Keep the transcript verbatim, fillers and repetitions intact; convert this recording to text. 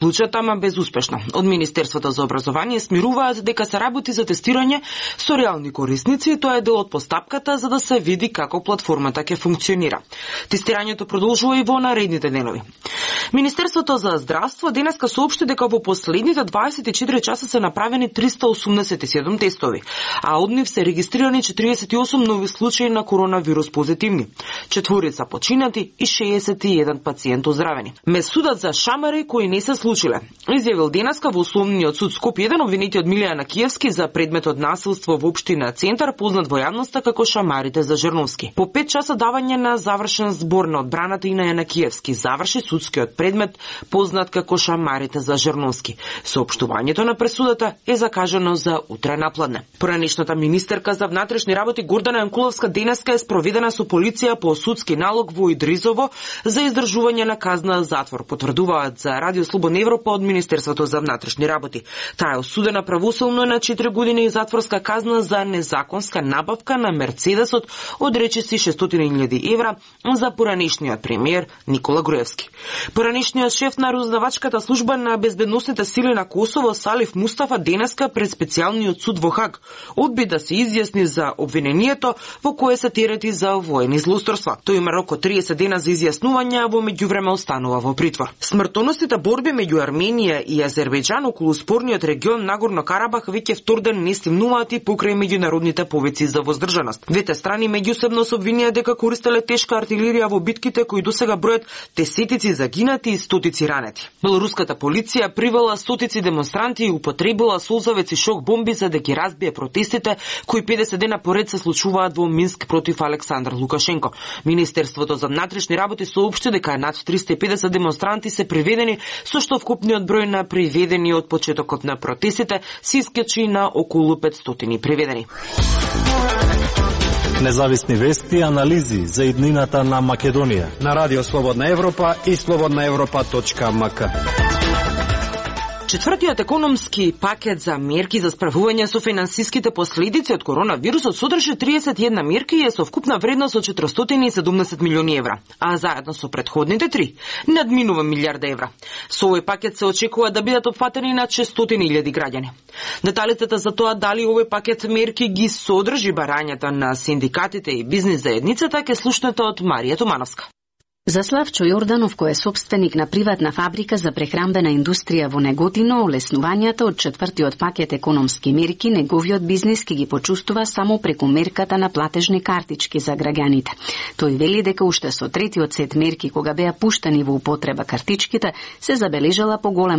Случајот ама безуспешно. Од Министерството за образование смируваат дека се работи за тестирање со реални корисници и тоа е дел од постапката за да се види како платформата ќе функционира. Тестирањето продолжува и во наредните денови. Министерството за здравство денеска соопшти дека во последните дваесет и четири часа се направени триста осумдесет и седум тестови, а од нив се регистрирани четиридесет и осум нови случаи на коронавирус позитивни, четворица починати и шеесет и еден пациент оздравени. Ме судат за шамари кои не се случиле, изјавил денеска во Основниот суд Скопје еден обвинетиот Милијана Киевски за предметот насилство во општина Центар, познат во јавноста како шамарите за Жрновски. По пет часа давање на завршен збор на одбраната и на Јана Киевски заврши судскиот предмет познат како шамарите за Жрновски. Соопштувањето на пресудата е закажано за утре напладне. Поранешната министерка за внатрешни работи Гордана Јанкуловска денеска е спроведена со полиција по судски налог во Идризово за издржување на казна затвор, потврдуваат за Радио Слободна Европа од Министерството за внатрешни работи. Таа е осудена правосилно на четири години и затворска казна за незаконска набавка на Мерцедесот од речиси шестстотини илјади евра за поранешниот премиер Никола Груевски. Поранешниот шеф на разузнавачката служба на безбедносните сили на Косово Салиф Мустафа денеска пред специјалниот суд во Хаг одби да се изјасни за обвинението во кое се терети за воени злосторства. Тој има рок од триесет дена за изјаснување, а во меѓувреме останува во притвор. Смртоносните борби меѓу Арменија и Азербејџан околу спорниот регион Нагорно Карабах веќе втор ден не стимнуваат и покрај меѓународните повици за воздржаност. Двете страни меѓусебно се обвинија дека користеле тешка артилерија во битките кои досега бројат десетици загинати и стотици ранети. Белоруската полиција привела стотици демонстранти и употребила солзавеци шок бомби за да ги разбие протестите кои педесет дена поред се случуваат во Минск против Александар Лукашенко. Министерството за внатрешни работи соопшти дека над триста и педесет демонстранти се приведени, со што вкупниот број на приведени од почетокот на протестите се искачи на околу петстотини приведени. Независни вести и анализи за иднината на Македонија на Радио Слободна Европа и слободна европа точка ем ка. Четвртиот економски пакет за мерки за справување со финансиските последици од коронавирусот содржи триесет и една мерки и е со вкупна вредност од четиристотини и седумдесет милиони евра, а заедно со претходните три надминува милијарда евра. Со овој пакет се очекува да бидат опфатени над шестстотини илјади граѓани. Деталите за тоа дали овој пакет мерки ги содржи барањата на синдикатите и бизнис заедницата ќе слушнете од Марија Томановска. За Славчо Јорданов, кој е собственик на приватна фабрика за прехрамбена индустрија во Неготино, олеснувањата од четвртиот пакет економски мерки неговиот бизнис ќе ги почувствува само преку мерката на платежни картички за граѓаните. Тој вели дека уште со третиот сет мерки, кога беа пуштени во употреба картичките, се забележала поголема